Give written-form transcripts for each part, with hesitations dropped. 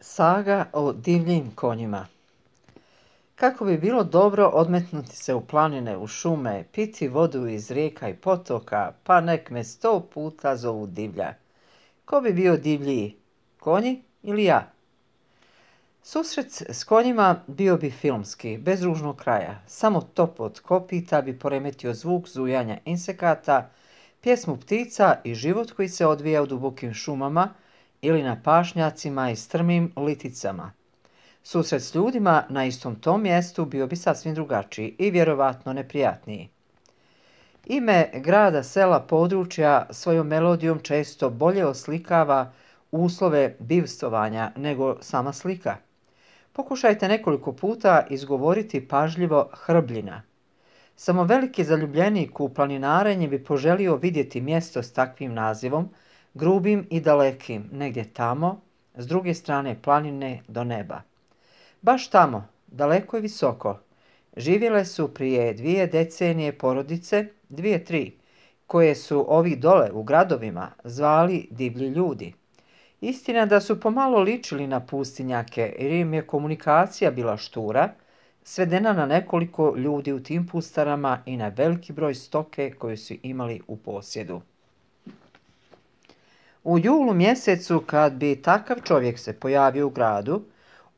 Saga o divljim konjima. Kako bi bilo dobro odmetnuti se u planine, u šume, piti vodu iz rijeka i potoka, pa nek me 100 puta zovu divlja. Ko bi bio divljiji, konji ili ja? Susret s konjima bio bi filmski, bez ružnog kraja. Samo top od kopita bi poremetio zvuk zujanja insekata, pjesmu ptica i život koji se odvija u dubokim šumama ili na pašnjacima i strmim liticama. Susret s ljudima na istom tom mjestu bio bi sasvim drugačiji i vjerovatno neprijatniji. Ime grada, sela, područja svojom melodijom često bolje oslikava uslove bivstvovanja nego sama slika. Pokušajte nekoliko puta izgovoriti pažljivo Hrbljina. Samo veliki zaljubljenik u planinarenje bi poželio vidjeti mjesto s takvim nazivom, grubim i dalekim, negdje tamo, s druge strane planine do neba. Baš tamo, daleko i visoko, živjele su prije 2 decenije porodice, 2, 3, koje su ovi dole u gradovima zvali divlji ljudi. Istina da su pomalo ličili na pustinjake jer im je komunikacija bila štura, svedena na nekoliko ljudi u tim pustarama i na veliki broj stoke koju su imali u posjedu. U julu mjesecu kad bi takav čovjek se pojavio u gradu,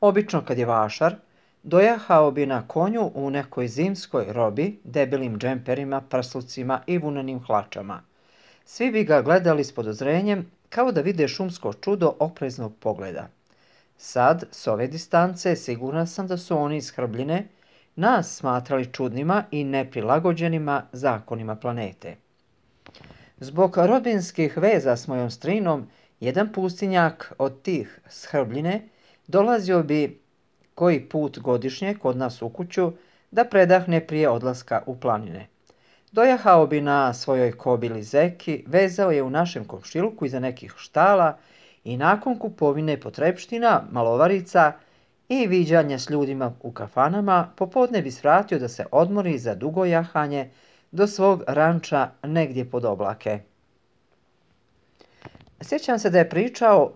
obično kad je vašar, dojahao bi na konju u nekoj zimskoj robi, debelim džemperima, prslucima i vunenim hlačama. Svi bi ga gledali s podozrenjem, kao da vide šumsko čudo opreznog pogleda. Sad, s ove distance, sigurna sam da su oni iz Hrbljine nas smatrali čudnima i neprilagođenima zakonima planete. Zbog rodbinskih veza s mojom strinom, jedan pustinjak od tih s Hrbljine dolazio bi koji put godišnje kod nas u kuću da predahne prije odlaska u planine. Dojahao bi na svojoj kobili zeki, vezao je u našem komšiluku iza nekih štala i nakon kupovine potrepština, malovarica i viđanja s ljudima u kafanama, popodne bi svratio da se odmori za dugo jahanje do svog ranča negdje pod oblake. Sjećam se da je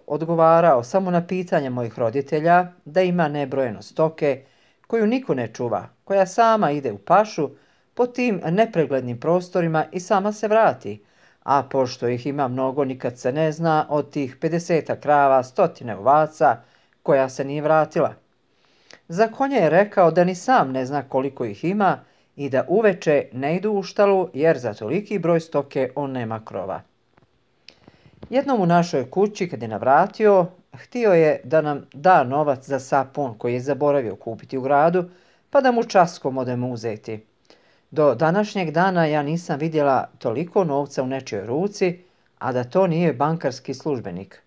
odgovarao samo na pitanje mojih roditelja da ima nebrojeno stoke koju niko ne čuva, koja sama ide u pašu po tim nepreglednim prostorima i sama se vrati, a pošto ih ima mnogo nikad se ne zna od tih 50 krava, 100 ovaca koja se nije vratila. Za konje je rekao da ni sam ne zna koliko ih ima i da uveče ne idu u štalu jer za toliki broj stoke on nema krova. Jednom u našoj kući kad je navratio, htio je da nam da novac za sapun koji je zaboravio kupiti u gradu, pa da mu časkom odemo uzeti. Do današnjeg dana ja nisam vidjela toliko novca u nečijoj ruci, a da to nije bankarski službenik.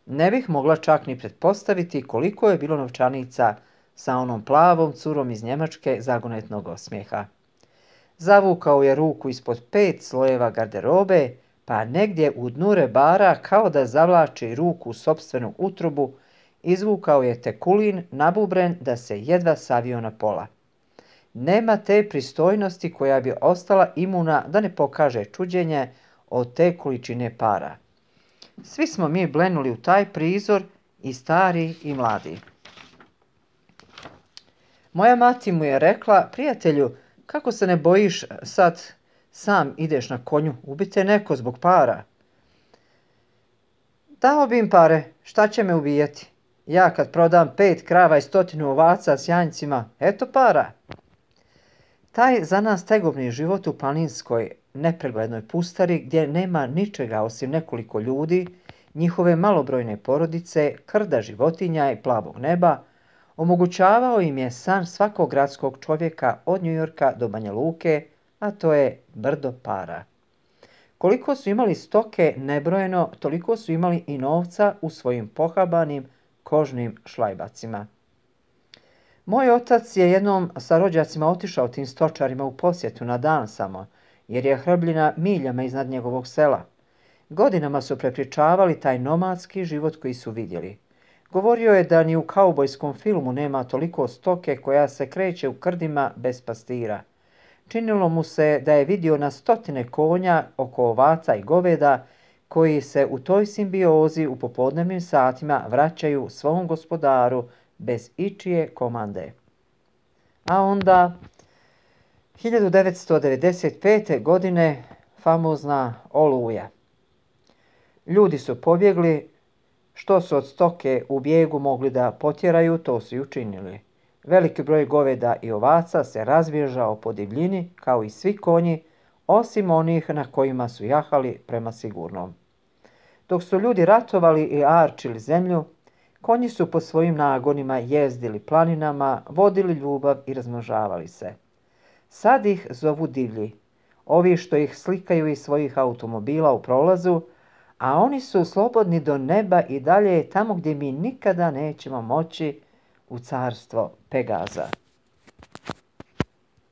Ne bih mogla čak ni pretpostaviti koliko je bilo novčanica sa onom plavom curom iz Njemačke zagonetnog osmijeha. Zavukao je ruku ispod 5 slojeva garderobe, pa negdje u dnu rebara, kao da zavlači ruku u sopstvenu utrobu, izvukao je tekulin nabubren da se jedva savio na pola. Nema te pristojnosti koja bi ostala imuna da ne pokaže čuđenje od te količine para. Svi smo mi blenuli u taj prizor, i stari i mladi. Moja mati mu je rekla: prijatelju, kako se ne bojiš sad sam ideš na konju, ubite neko zbog para. Dao bi im pare, šta će me ubijati? Ja kad prodam 5 krava i 100 ovaca s janjcima, eto para. Taj za nas tegobni život u planinskoj nepreglednoj pustari gdje nema ničega osim nekoliko ljudi, njihove malobrojne porodice, krda životinja i plavog neba, omogućavao im je san svakog gradskog čovjeka od Njujorka do Banja Luke, a to je brdo para. Koliko su imali stoke nebrojeno, toliko su imali i novca u svojim pohabanim kožnim šlajbacima. Moj otac je jednom sa rođacima otišao tim stočarima u posjetu na dan samo, jer je Hrbljina miljama iznad njegovog sela. Godinama su prepričavali taj nomadski život koji su vidjeli. Govorio je da ni u kaubojskom filmu nema toliko stoke koja se kreće u krdima bez pastira. Činilo mu se da je vidio na 100 konja oko ovaca i goveda koji se u toj simbiozi u popodnevnim satima vraćaju svom gospodaru bez ičije komande. A onda 1995. godine famozna Oluja. Ljudi su pobjegli, što su od stoke u bijegu mogli da potjeraju, to su i učinili. Veliki broj goveda i ovaca se razbježao po divljini, kao i svi konji, osim onih na kojima su jahali prema sigurnom. Dok su ljudi ratovali i arčili zemlju, konji su po svojim nagonima jezdili planinama, vodili ljubav i razmnožavali se. Sad ih zovu divlji, ovi što ih slikaju iz svojih automobila u prolazu, a oni su slobodni do neba i dalje tamo gdje mi nikada nećemo moći, u carstvo Pegaza.